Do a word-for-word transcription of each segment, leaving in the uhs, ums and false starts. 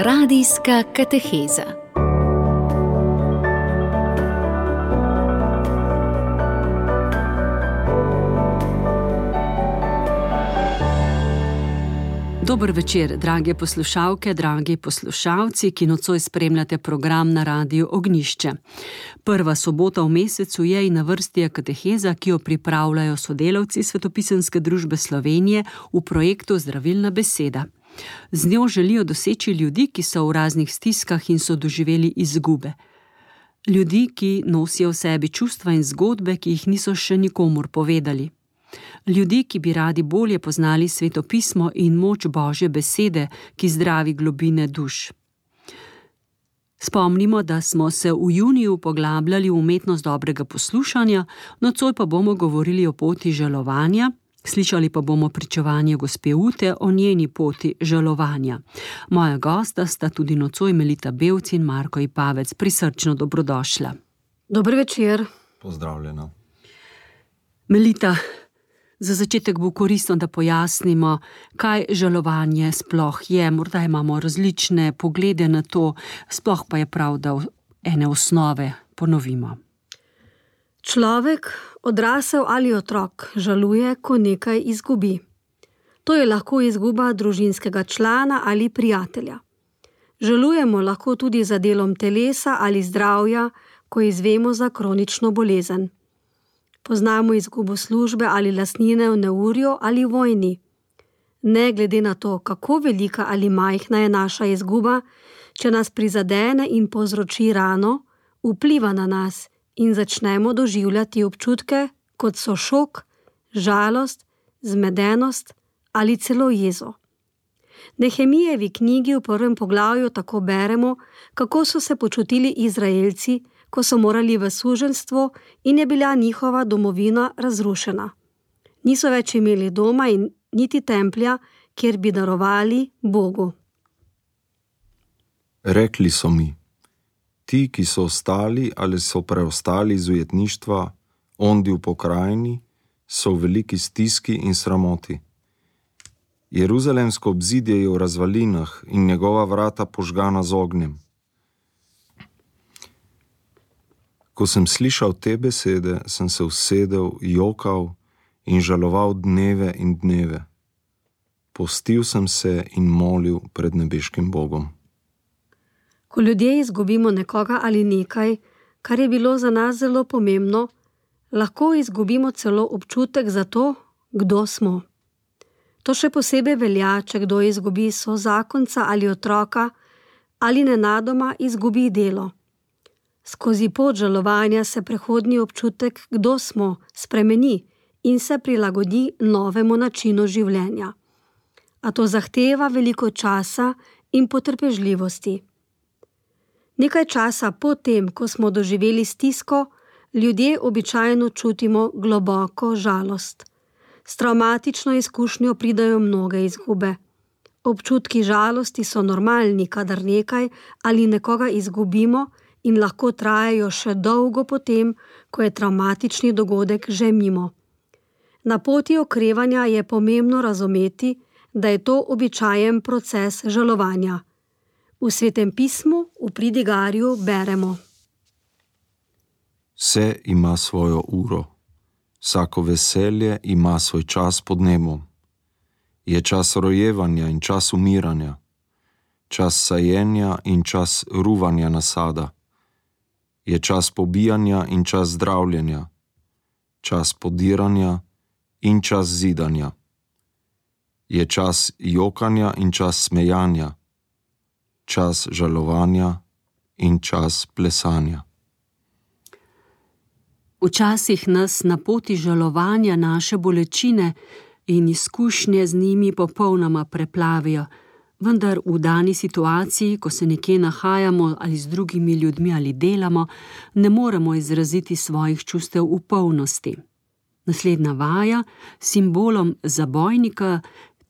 Radijska kateheza. Dober večer, drage poslušalke, dragi poslušalci, ki nocoj spremljate program na Radiu Ognjišče. Prva sobota v mesecu je in na vrsti je kateheza, ki jo pripravljajo sodelavci Svetopisemske družbe Slovenije v projektu Zdravilna beseda. Z njo želijo doseči ljudi, ki so v raznih stiskah in so doživeli izgube. Ljudi, ki nosijo v sebi čustva in zgodbe, ki jih niso še nikomur povedali. Ljudi, ki bi radi bolje poznali svetopismo in moč Božje besede, ki zdravi globine duš. Spomnimo, da smo se v juniju poglabljali v umetnost dobrega poslušanja, nocoj pa bomo govorili o poti žalovanja, slišali pa bomo pričevanje gospe Ute o njeni poti žalovanja. Moja gosta sta tudi nocoj Melita Bevc in Marko Ipavec. Prisrčno dobrodošla. Dober večer. Pozdravljena. Melita, za začetek bo koristno, da pojasnimo, kaj žalovanje sploh je. Morda imamo različne poglede na to, sploh pa je prav, da ene osnove ponovimo. Človek, odrasel ali otrok, žaluje, ko nekaj izgubi. To je lahko izguba družinskega člana ali prijatelja. Žalujemo lahko tudi za delom telesa ali zdravja, ko izvemo za kronično bolezen. Poznamo izgubo službe ali lastnine v neurju ali vojni. Ne glede na to, kako velika ali majhna je naša izguba, če nas prizadene in povzroči rano, vpliva na nas in začnemo doživljati občutke, kot so šok, žalost, zmedenost ali celo jezo. Nehemijevi knjigi v prvem poglavju tako beremo, kako so se počutili Izraelci, ko so morali v suženjstvo in je bila njihova domovina razrušena. Niso več imeli doma in niti templja, kjer bi darovali Bogu. Rekli so mi, ti, ki so ostali ali so preostali iz ujetništva, ondi v pokrajini, so v veliki stiski in sramoti. Jeruzalemsko obzidje je v razvalinah in njegova vrata požgana z ognjem. Ko sem slišal te besede, sem se usedel, jokal in žaloval dneve in dneve. Postil sem se in molil pred nebeškim Bogom. Ko ljudje izgubimo nekoga ali nekaj, kar je bilo za nas zelo pomembno, lahko izgubimo celo občutek za to, kdo smo. To še posebej velja, če kdo izgubi sozakonca ali otroka ali nenadoma izgubi delo. Skozi pot žalovanja se prehodni občutek, kdo smo, spremeni in se prilagodi novemu načinu življenja. A to zahteva veliko časa in potrpežljivosti. Nekaj časa po tem, ko smo doživeli stisko, ljudje običajno čutimo globoko žalost. S travmatično izkušnjo pridajo mnoge izgube. Občutki žalosti so normalni, kadar nekaj ali nekoga izgubimo, in lahko trajajo še dolgo potem, ko je travmatični dogodek že mimo. Na poti okrevanja je pomembno razumeti, da je to običajen proces žalovanja. V Svetem pismu v Pridigarju beremo: Vse ima svojo uro, vsako veselje ima svoj čas pod nebom. Je čas rojevanja in čas umiranja, čas sajenja in čas ruvanja nasada. Je čas pobijanja in čas zdravljenja, čas podiranja in čas zidanja. Je čas jokanja in čas smejanja, čas žalovanja in čas plesanja. Včasih nas na poti žalovanja naše bolečine in izkušnje z njimi popolnoma preplavijo, vendar v dani situaciji, ko se nekje nahajamo ali z drugimi ljudmi ali delamo, ne moremo izraziti svojih čustev v polnosti. Naslednja vaja s simbolom zabojnika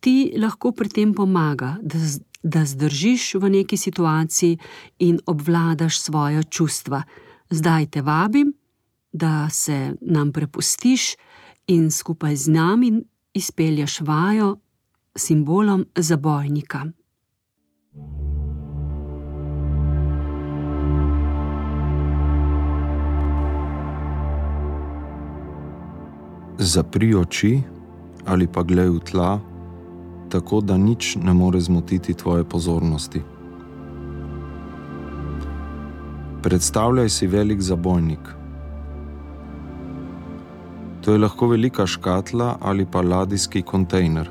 ti lahko pri tem pomaga, da, da zdržiš v neki situaciji in obvladaš svoja čustva. Zdaj te vabim, da se nam prepustiš in skupaj z nami izpelješ vajo simbolom zabojnika. Zapri oči ali pa glej v tla, tako da nič ne more zmotiti tvoje pozornosti. Predstavljaj si velik zabojnik. To je lahko velika škatla ali pa ladijski kontejner.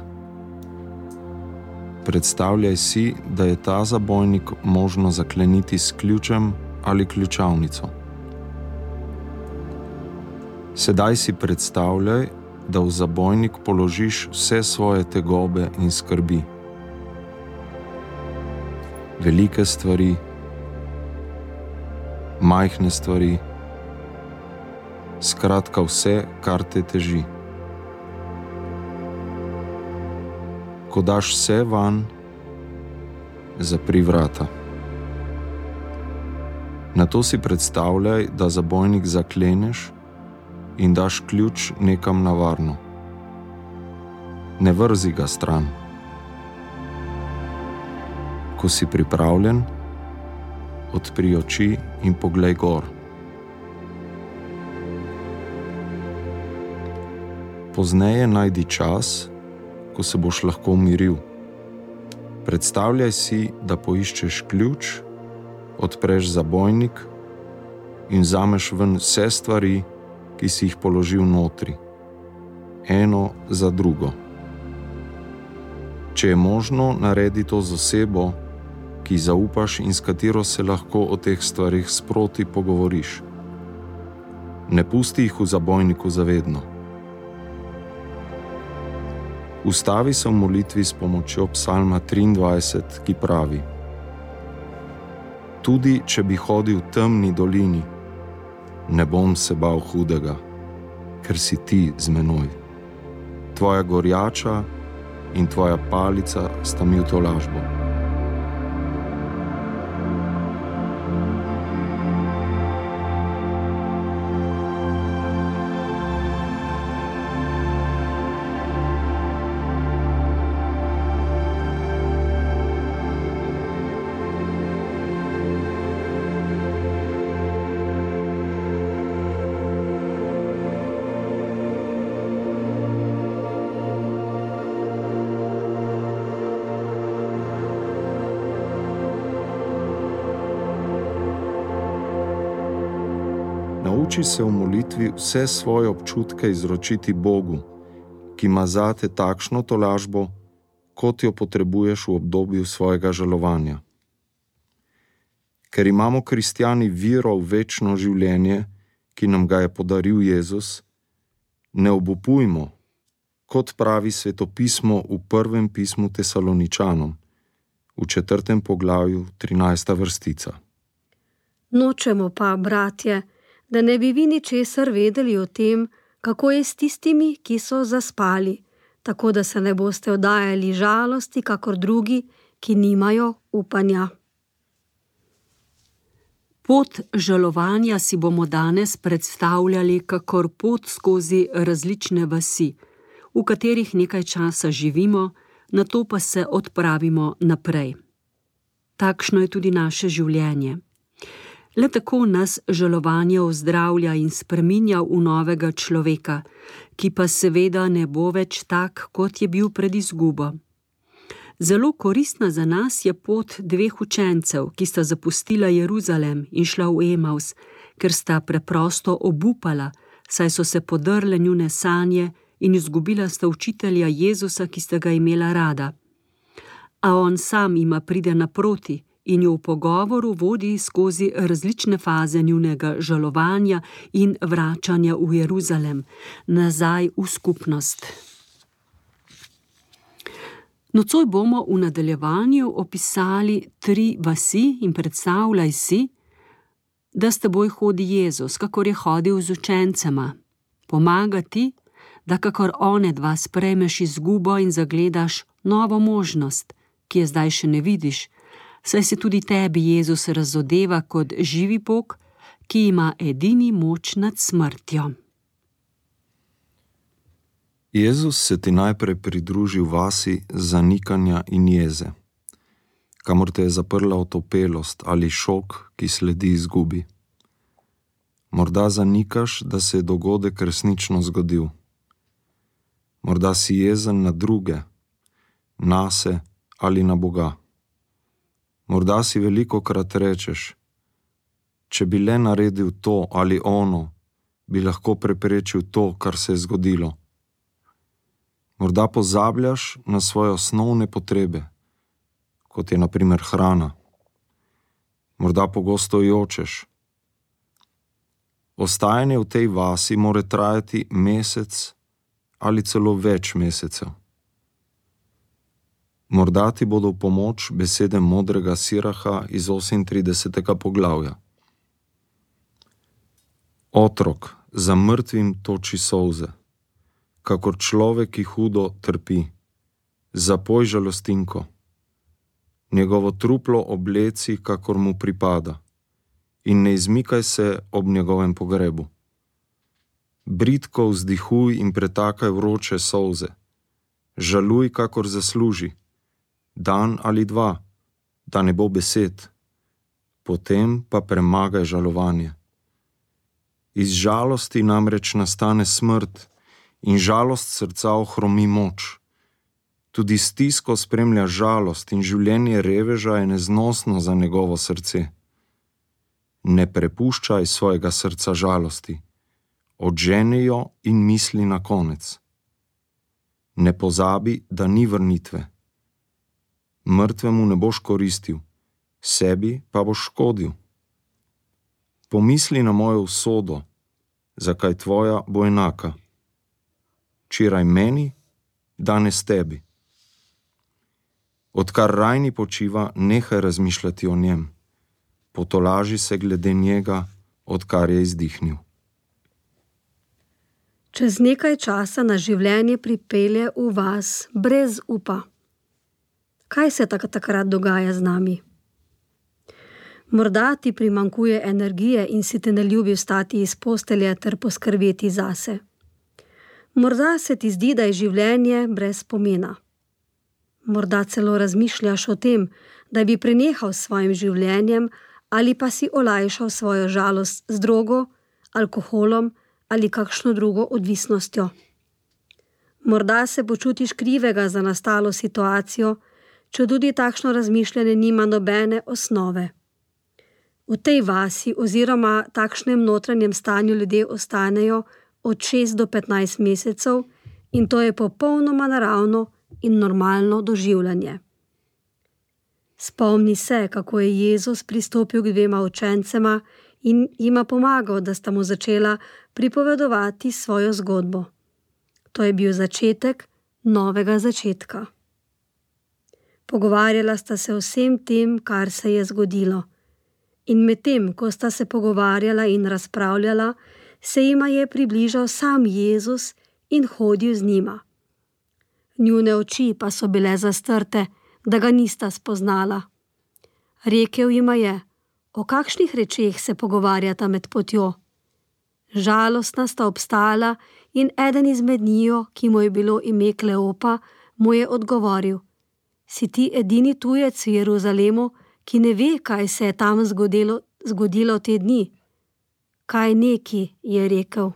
Predstavljaj si, da je ta zabojnik možno zakleniti s ključem ali ključavnico. Sedaj si predstavljaj, da v zabojnik položiš vse svoje tegobe in skrbi. Velike stvari, majhne stvari, skratka vse, kar te teži. Ko daš vse van, zapri vrata. Nato si predstavljaj, da zabojnik zakleneš in daš ključ nekam na varno. Ne vrzi ga stran. Ko si pripravljen, odpri oči in poglej gor. Pozneje najdi čas, ko se boš lahko umiril. Predstavljaj si, da poiščeš ključ, odpreš zabojnik in vzameš ven vse stvari, ki si jih položil notri, eno za drugo. Če je možno, naredi to z osebo, ki zaupaš in s katero se lahko o teh stvarih sproti pogovoriš. Ne pusti jih v zabojniku zavedno. Ustavi se v molitvi s pomočjo psalma triindvajset, ki pravi: Tudi če bi hodil v temni dolini, ne bom se bal hudega, ker si ti z menoj. Tvoja gorjača in tvoja palica sta mi v tolažbo. Nauči se v molitvi vse svoje občutke izročiti Bogu, ki ima zate takšno tolažbo, kot jo potrebuješ v obdobju svojega žalovanja. Ker imamo kristjani vero v večno življenje, ki nam ga je podaril Jezus, ne obupujmo, kot pravi svetopismo v prvem pismu Tesaloničanom, v četrtem poglavju, trinajsta vrstica. Nočemo pa, bratje, da ne bi vi ničesar vedeli o tem, kako je s tistimi, ki so zaspali, tako da se ne boste oddajali žalosti, kakor drugi, ki nimajo upanja. Pot žalovanja si bomo danes predstavljali kakor pot skozi različne vasi, v katerih nekaj časa živimo, nato pa se odpravimo naprej. Takšno je tudi naše življenje. Le tako nas žalovanje ozdravlja in spreminja v novega človeka, ki pa seveda ne bo več tak, kot je bil pred izgubo. Zelo koristna za nas je pot dveh učencev, ki sta zapustila Jeruzalem in šla v Emaus, ker sta preprosto obupala, saj so se podrle njune sanje in izgubila sta učitelja Jezusa, ki sta ga imela rada. A on sam jima pride naproti in jo v pogovoru vodi skozi različne faze njunega žalovanja in vračanja v Jeruzalem, nazaj v skupnost. Nocoj bomo v nadaljevanju opisali tri vasi in predstavljaj si, da s teboj hodi Jezus, kakor je hodil z učencema. Pomaga ti, da kakor one dva sprejmeš izgubo in zagledaš novo možnost, ki je zdaj še ne vidiš, saj se tudi tebi Jezus razodeva kot živi Bog, ki ima edini moč nad smrtjo. Jezus se ti najprej pridruži v vasi zanikanja in jeze, kamor te je zaprla otopelost ali šok, ki sledi izgubi. Morda zanikaš, da se je dogodek resnično zgodil. Morda si jezen na druge, nase ali na Boga. Morda si velikokrat rečeš, če bi le naredil to ali ono, bi lahko preprečil to, kar se je zgodilo. Morda pozabljaš na svoje osnovne potrebe, kot je na primer hrana. Morda pogosto jočeš. Ostajanje v tej vasi more trajati mesec ali celo več mesecev. Morda ti bodo v pomoč besede modrega Siraha iz osemintridesetega poglavja. Otrok za mrtvim toči solze, kakor človek, ki hudo trpi. Zapoj žalostinko. Njegovo truplo obleci, kakor mu pripada, in ne izmikaj se ob njegovem pogrebu. Bridko vzdihuj in pretakaj vroče solze. Žaluj, kakor zasluži. Dan ali dva, da ne bo besed. Potem pa premagaj žalovanje. Iz žalosti namreč nastane smrt in žalost srca ohromi moč. Tudi stisko spremlja žalost in življenje reveža je neznosno za njegovo srce. Ne prepuščaj svojega srca žalosti. Odženi jo in misli na konec. Ne pozabi, da ni vrnitve. Mrtvemu ne boš koristil, sebi pa boš škodil. Pomisli na mojo usodo, zakaj tvoja bo enaka. Včeraj meni, danes tebi. Odkar rajni počiva, nehaj razmišljati o njem. Potolaži se glede njega, odkar je izdihnil. Čez nekaj časa na življenje pripelje v vas brez upa. Kaj se tak takrat dogaja z nami? Morda ti primanjkuje energije in si te ne ljubi vstati iz postelje ter poskrbeti zase. Morda se ti zdi, da je življenje brez pomena. Morda celo razmišljaš o tem, da bi prenehal s svojim življenjem ali pa si olajšal svojo žalost z drogo, alkoholom ali kakšno drugo odvisnostjo. Morda se počutiš krivega za nastalo situacijo, če tudi takšno razmišljanje nima nobene osnove. V tej vasi oziroma takšnem notranjem stanju ljudje ostanejo od šest do petnajst mesecev in to je popolnoma naravno in normalno doživljanje. Spomni se, kako je Jezus pristopil k dvema učencema in jima pomagal, da sta mu začela pripovedovati svojo zgodbo. To je bil začetek novega začetka. Pogovarjala sta se o vsem tem, kar se je zgodilo. In medtem, ko sta se pogovarjala in razpravljala, se jima je približal sam Jezus in hodil z njima. Njune oči pa so bile zastrte, da ga nista spoznala. Rekel jima je, o kakšnih rečeh se pogovarjata med potjo. Žalostna sta obstala in eden izmed njiju, ki mu je bilo ime Kleopa, mu je odgovoril: Si ti edini tujec v Jeruzalemu, ki ne ve, kaj se je tam zgodilo, zgodilo te dni? Kaj neki, je rekel.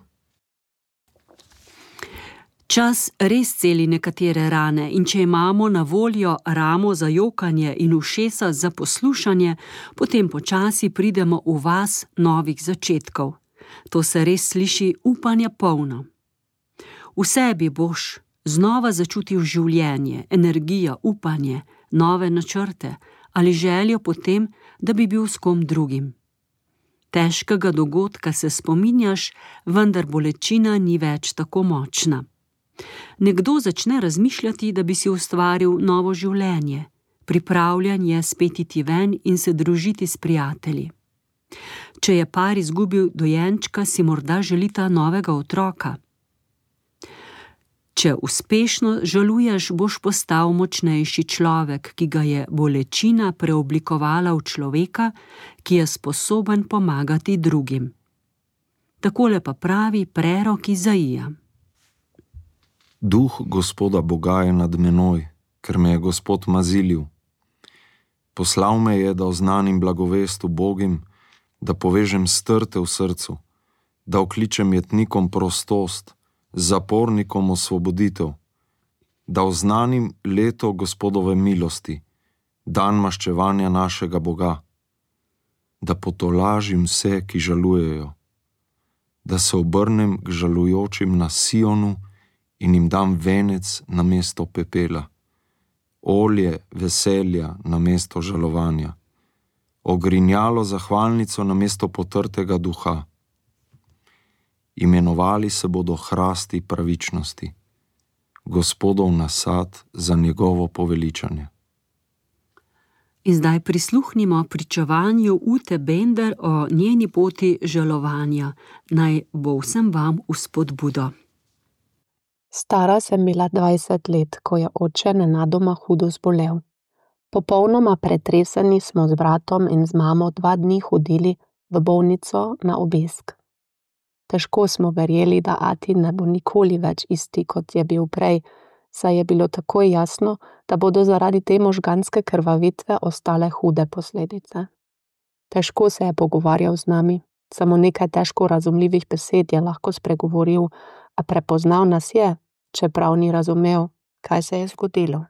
Čas res celi nekatere rane in če imamo na voljo ramo za jokanje in ušesa za poslušanje, potem počasi pridemo v vas novih začetkov. To se res sliši upanja polno. V sebi boš znova začutil življenje, energijo, upanje, nove načrte ali željo potem, da bi bil s kom drugim. Težkega dogodka se spominjaš, vendar bolečina ni več tako močna. Nekdo začne razmišljati, da bi si ustvaril novo življenje, pripravljen je spet iti ven in se družiti s prijatelji. Če je par izgubil dojenčka, si morda želita novega otroka. Če uspešno žaluješ, boš postal močnejši človek, ki ga je bolečina preoblikovala v človeka, ki je sposoben pomagati drugim. Takole pa pravi prerok Izaija. Duh Gospoda Boga je nad menoj, ker me je Gospod mazilil. Poslal me je, da oznanim blagovest ubogim, da povežem strte v srcu, da okličem jetnikom prostost, zapornikom osvoboditev, da oznanim leto Gospodove milosti, dan maščevanja našega Boga, da potolažim vse, ki žalujejo, da se obrnem k žalujočim na Sionu in jim dam venec namesto pepela, olje veselja namesto žalovanja, ogrinjalo zahvalnico namesto potrtega duha. Imenovali se bodo hrasti pravičnosti, Gospodov nasad za njegovo poveličanje. In zdaj prisluhnimo pričevanju Ute Bender o njeni poti žalovanja. Naj bo vsem vam v spodbudo. Stara sem bila dvajset let, ko je oče nenadoma hudo zbolel. Popolnoma pretreseni smo z bratom in z mamo dva dni hodili v bolnico na obisk. Težko smo verjeli, da ati ne bo nikoli več isti, kot je bil prej, saj je bilo takoj jasno, da bodo zaradi te možganske krvavitve ostale hude posledice. Težko se je pogovarjal z nami, samo nekaj težko razumljivih besed je lahko spregovoril, a prepoznal nas je, čeprav ni razumel, kaj se je zgodilo.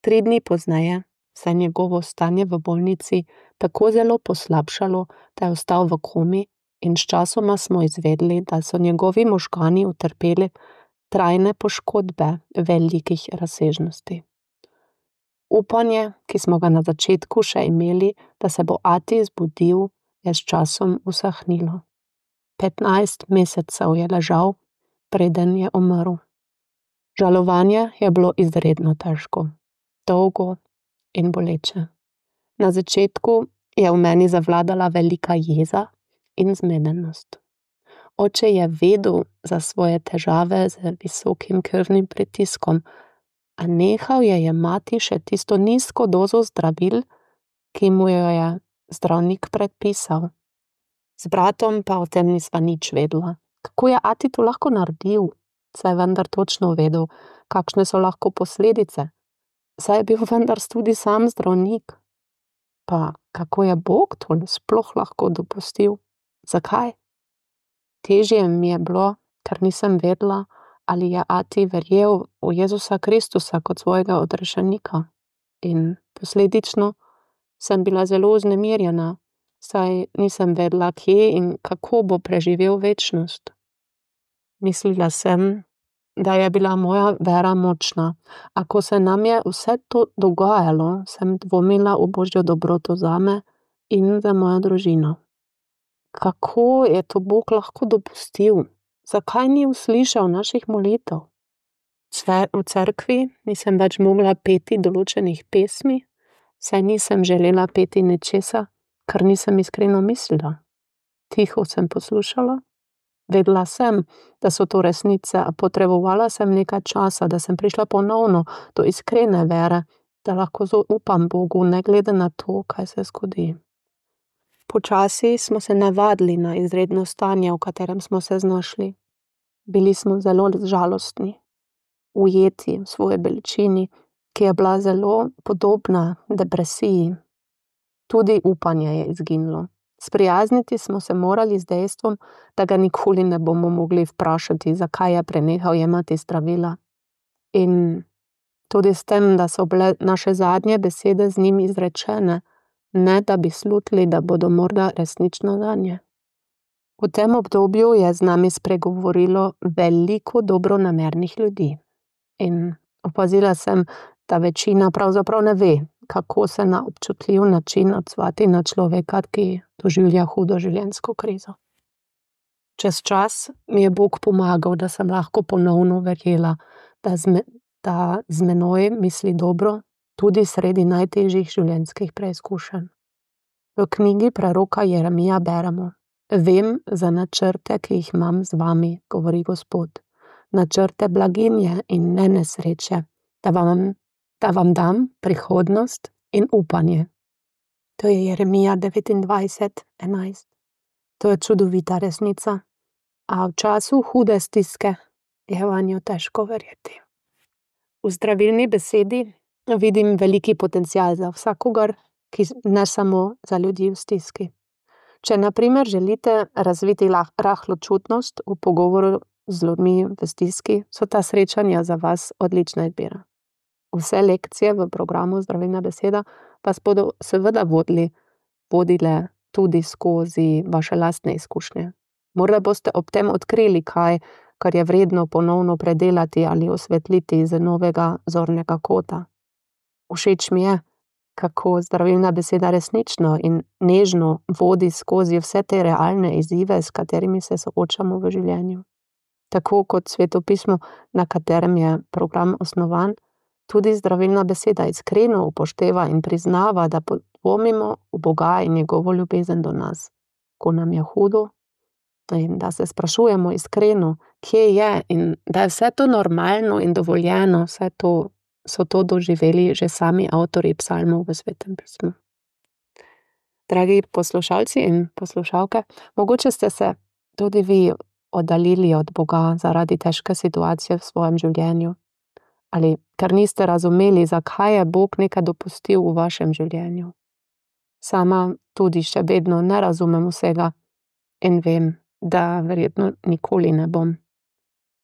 Tri dni pozneje se je njegovo stanje v bolnici tako zelo poslabšalo, da je ostal v komi in sčasoma smo izvedeli, da so njegovi možgani utrpeli trajne poškodbe velikih razsežnosti. Upanje, ki smo ga na začetku še imeli, da se bo ati zbudil, je s časom usahnilo. Petnajst mesecev je ležal, preden je umrl. Žalovanje je bilo izredno težko, dolgo in boleče. Na začetku je v meni zavladala velika jeza in zmedenost. Oče je vedel za svoje težave z visokim krvnim pritiskom, a nehal je jemati še tisto nizko dozo zdravil, ki mu jo je zdravnik predpisal. Z bratom pa o tem nisva nič vedela. Kako je ati to lahko naredil? Saj je vendar točno vedel, kakšne so lahko posledice. Saj je bil vendar tudi sam zdravnik. Pa kako je Bog to sploh lahko dopustil? Zakaj? Težje mi je bilo, ker nisem vedela, ali je ati verjel v Jezusa Kristusa kot svojega odrešenika. In posledično sem bila zelo vznemirjena, saj nisem vedela, kje in kako bo preživel večnost. Mislila sem, da je bila moja vera močna, a ko se nam je vse to dogajalo, sem dvomila v Božjo dobroto zame in za mojo družino. Kako je to Bog lahko dopustil? Zakaj ni uslišal naših molitev? V cerkvi nisem več mogla peti določenih pesmi, saj nisem želela peti nečesa, kar nisem iskreno mislila. Tiho sem poslušala. Vedela sem, da so to resnice, a potrebovala sem nekaj časa, da sem prišla ponovno do iskrene vere, da lahko zaupam Bogu, ne glede na to, kaj se zgodi. Počasi smo se navadili na izredno stanje, v katerem smo se znašli. Bili smo zelo žalostni, ujeti v svoji bolečini, ki je bila zelo podobna depresiji. Tudi upanje je izginilo. Sprijazniti smo se morali z dejstvom, da ga nikoli ne bomo mogli vprašati, zakaj je prenehal jemati zdravila. In tudi s tem, da so bile naše zadnje besede z njim izrečene, ne da bi slutili, da bodo morda resnično zanje. V tem obdobju je z nami spregovorilo veliko dobronamernih ljudi. In opazila sem, da večina pravzaprav ne ve, kako se na občutljiv način odzvati na človeka, ki doživlja hudo življenjsko krizo. Čez čas mi je Bog pomagal, da sem lahko ponovno verjela, da z, me, da z menoj misli dobro, tudi sredi najtežjih življenjskih preizkušenj. V knjigi preroka Jeremija beremo: Vem za načrte, ki jih imam z vami, govori Gospod, načrte blaginje in ne nesreče, da vam, da vam dam prihodnost in upanje. To je Jeremija devetindvajset enajst. To je čudovita resnica, a v času hude stiske je vanjo težko verjeti. V zdravilni besedi vidim veliki potencial za vsakogar, ki ne samo za ljudi v stiski. Če na primer želite razviti rahločutnost v pogovoru z ljudmi v stiski, so ta srečanja za vas odlična izbira. Vse lekcije v programu Zdravilna beseda vas bodo seveda vodili, vodile tudi skozi vaše lastne izkušnje. Morda boste ob tem odkrili kaj, kar je vredno ponovno predelati ali osvetliti z novega zornega kota. Všeč mi je, kako zdravilna beseda resnično in nežno vodi skozi vse te realne izzive, s katerimi se soočamo v življenju. Tako kot Sveto pismo, na katerem je program osnovan, tudi zdravilna beseda iskreno upošteva in priznava, da podvomimo v Boga in njegovo ljubezen do nas, ko nam je hudo, in da se sprašujemo iskreno, kje je, in da je vse to normalno in dovoljeno, vse to so to doživeli že sami avtorji psalmov v Svetem pismu. Dragi poslušalci in poslušalke, mogoče ste se tudi vi oddaljili od Boga zaradi težke situacije v svojem življenju, ali ker niste razumeli, zakaj je Bog nekaj dopustil v vašem življenju. Sama tudi še vedno ne razumem vsega in vem, da verjetno nikoli ne bom.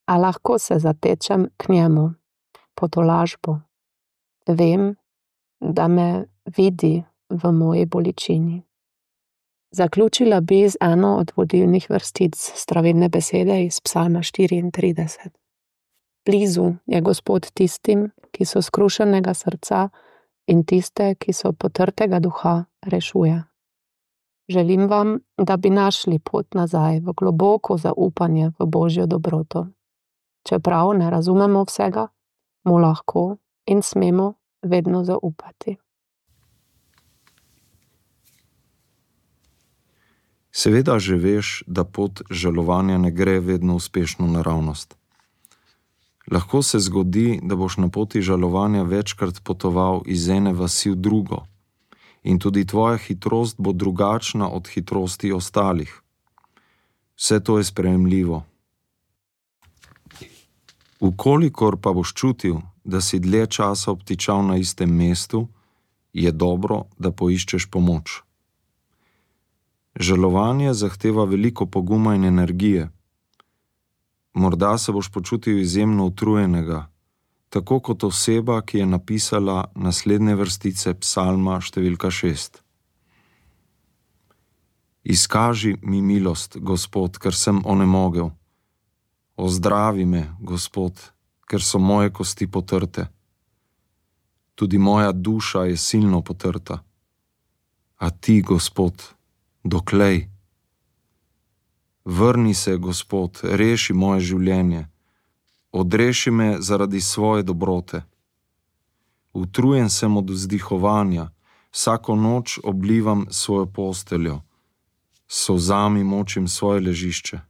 A lahko se zatečem k njemu, po tolažbo. Vem, da me vidi v moji bolečini. Zaključila bi z eno od vodilnih vrstic zdravilne besede iz psalma štiriintrideset. Blizu je Gospod tistim, ki so skrušenega srca, in tiste, ki so potrtega duha, rešuje. Želim vam, da bi našli pot nazaj v globoko zaupanje v Božjo dobroto. Čeprav ne razumemo vsega, mu lahko in smemo vedno zaupati. Seveda že veš, da pot žalovanja ne gre vedno uspešno naravnost. Lahko se zgodi, da boš na poti žalovanja večkrat potoval iz ene vasi v drugo in tudi tvoja hitrost bo drugačna od hitrosti ostalih. Vse to je sprejemljivo. Ukolikor pa boš čutil, da si dlje časa obtičal na istem mestu, je dobro, da poiščeš pomoč. Žalovanje zahteva veliko poguma in energije. Morda se boš počutil izjemno utrujenega, tako kot oseba, ki je napisala naslednje vrstice psalma številka šest. Izkaži mi milost, Gospod, ker sem onemogel. Ozdravi me, Gospod, ker so moje kosti potrte. Tudi moja duša je silno potrta. A ti, Gospod, doklej? Vrni se, Gospod, reši moje življenje. Odreši me zaradi svoje dobrote. Utrujen sem od vzdihovanja, vsako noč oblivam svojo posteljo, s solzami močim svoje ležišče.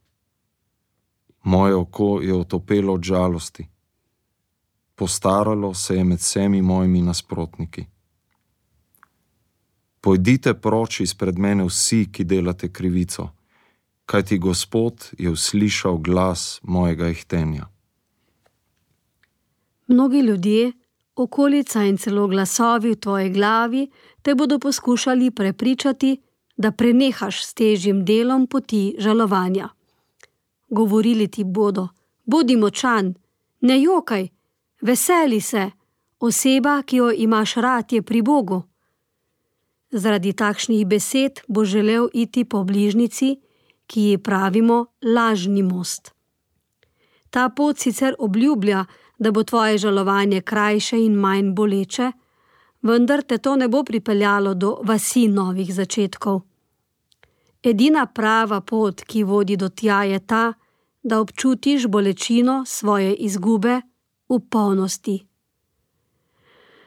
Moje oko je otopelo od žalosti. Postaralo se je med vsemi mojimi nasprotniki. Pojdite proč izpred mene vsi, ki delate krivico, kajti Gospod je uslišal glas mojega ihtenja. Mnogi ljudje, okolica in celo glasovi v tvoji glavi te bodo poskušali prepričati, da prenehaš s težjim delom poti žalovanja. Govorili ti bodo, bodi močan, ne jokaj, veseli se, oseba, ki jo imaš rad, je pri Bogu. Zaradi takšnih besed bo želel iti po bližnjici, ki ji pravimo lažni most. Ta pot sicer obljublja, da bo tvoje žalovanje krajše in manj boleče, vendar te to ne bo pripeljalo do vasi novih začetkov. Edina prava pot, ki vodi do tja, je ta, da občutiš bolečino svoje izgube v polnosti.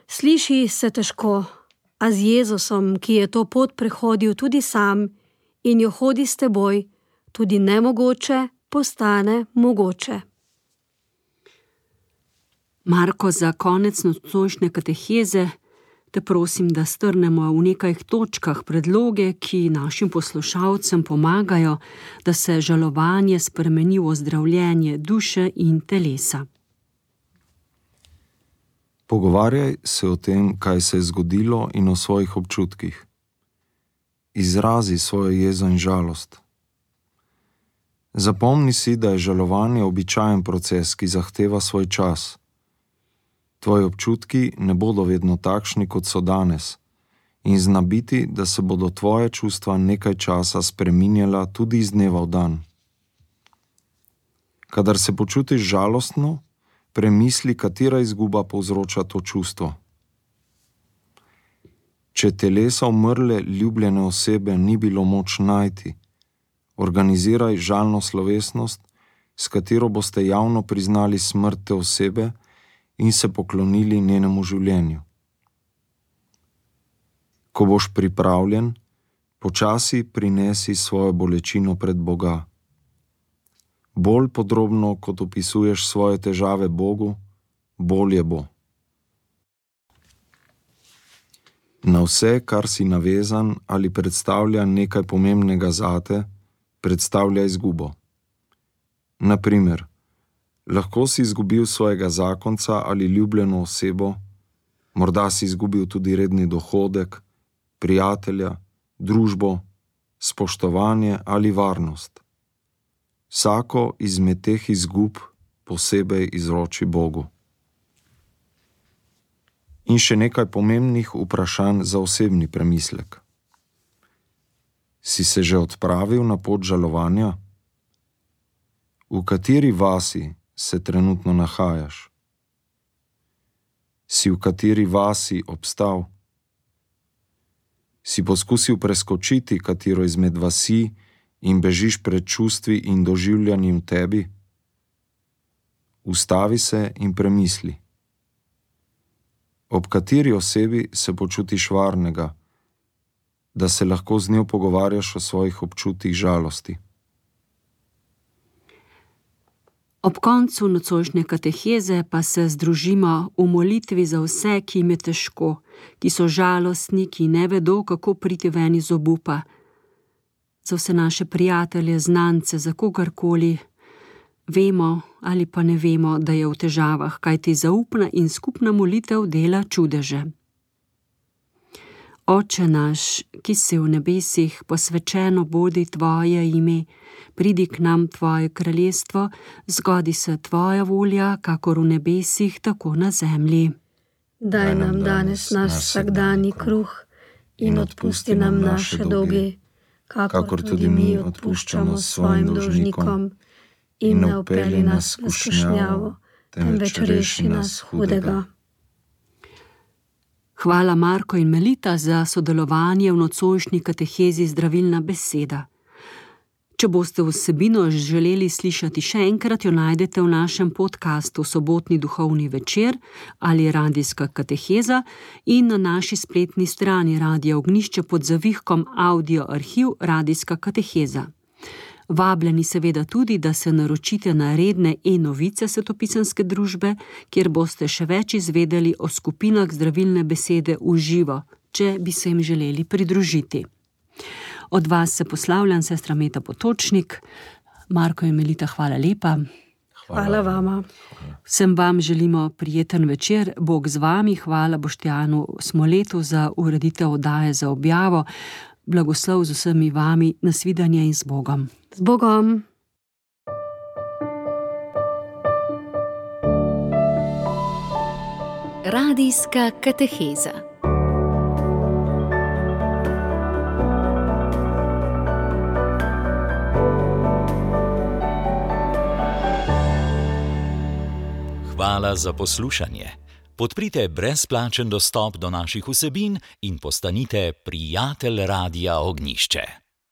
Sliši se težko, a z Jezusom, ki je to pot prehodil tudi sam in jo hodi s teboj, tudi nemogoče postane mogoče. Marko, za konec nocojšnje kateheze te prosim, da strnemo v nekaj točkah predloge, ki našim poslušalcem pomagajo, da se žalovanje spremeni v ozdravljenje duše in telesa. Pogovarjaj se o tem, kaj se je zgodilo, in o svojih občutkih. Izrazi svojo jezo in žalost. Zapomni si, da je žalovanje običajen proces, ki zahteva svoj čas. Tvoji občutki ne bodo vedno takšni, kot so danes, in zna biti, da se bodo tvoje čustva nekaj časa spreminjala tudi iz dneva v dan. Kadar se počutiš žalostno, premisli, katera izguba povzroča to čustvo. Če telesa umrle ljubljene osebe ni bilo moč najti, organiziraj žalno slovesnost, s katero boste javno priznali smrt te osebe in se poklonili njenemu življenju. Ko boš pripravljen, počasi prinesi svojo bolečino pred Boga. Bolj podrobno, kot opisuješ svoje težave Bogu, bolje bo. Na vse, kar si navezan ali predstavlja nekaj pomembnega zate, predstavlja izgubo. Na primer, lahko si izgubil svojega zakonca ali ljubljeno osebo, morda si izgubil tudi redni dohodek, prijatelja, družbo, spoštovanje ali varnost. Vsako izmed teh izgub posebej izroči Bogu. In še nekaj pomembnih vprašanj za osebni premislek. Si se že odpravil na pot žalovanja? V kateri vasi se trenutno nahajaš? Si v kateri vasi obstal? Si poskusil preskočiti katero izmed vasi in bežiš pred čustvi in doživljanji v tebi? Ustavi se in premisli. Ob kateri osebi se počutiš varnega, da se lahko z njo pogovarjaš o svojih občutih žalosti? Ob koncu nocojšnje kateheze pa se združimo v molitvi za vse, ki jim je težko, ki so žalostni, ki ne vedo, kako priti ven iz obupa. Za vse naše prijatelje, znance, za kogarkoli, vemo ali pa ne vemo, da je v težavah, kajti zaupna in skupna molitev dela čudeže. Oče naš, ki si v nebesih, posvečeno bodi tvoje ime, pridi k nam tvoje kraljestvo, zgodi se tvoja volja, kakor v nebesih, tako na zemlji. Daj nam danes naš vsakdanji kruh in odpusti nam naše dolge, kakor tudi mi odpuščamo svojim dolžnikom, in ne vpelji nas v skušnjavo, temveč reši nas hudega. Hvala Marko in Melita za sodelovanje v nocojšnji katehezi Zdravilna beseda. Če boste vsebino želeli slišati še enkrat, jo najdete v našem podcastu Sobotni duhovni večer ali Radijska kateheza in na naši spletni strani Radia Ognjišče pod zavihkom Audio arhiv Radijska kateheza. Vabljeni seveda tudi, da se naročite na redne e-novice Svetopisemske družbe, kjer boste še več izvedeli o skupinah Zdravilne besede v živo, če bi se jim želeli pridružiti. Od vas se poslavljam, sestra Meta Potočnik. Marko in Melita, hvala lepa. Hvala vama. Vsem vam želimo prijeten večer, Bog z vami, hvala Boštjanu Smoletu za ureditev oddaje za objavo. Blagoslov z vsemi vami, nasvidenje in z Bogom. Z Bogom. Radijska kateheza. Hvala za poslušanje. Podprite brezplačen dostop do naših vsebin in postanite prijatelj Radia Ognjišče.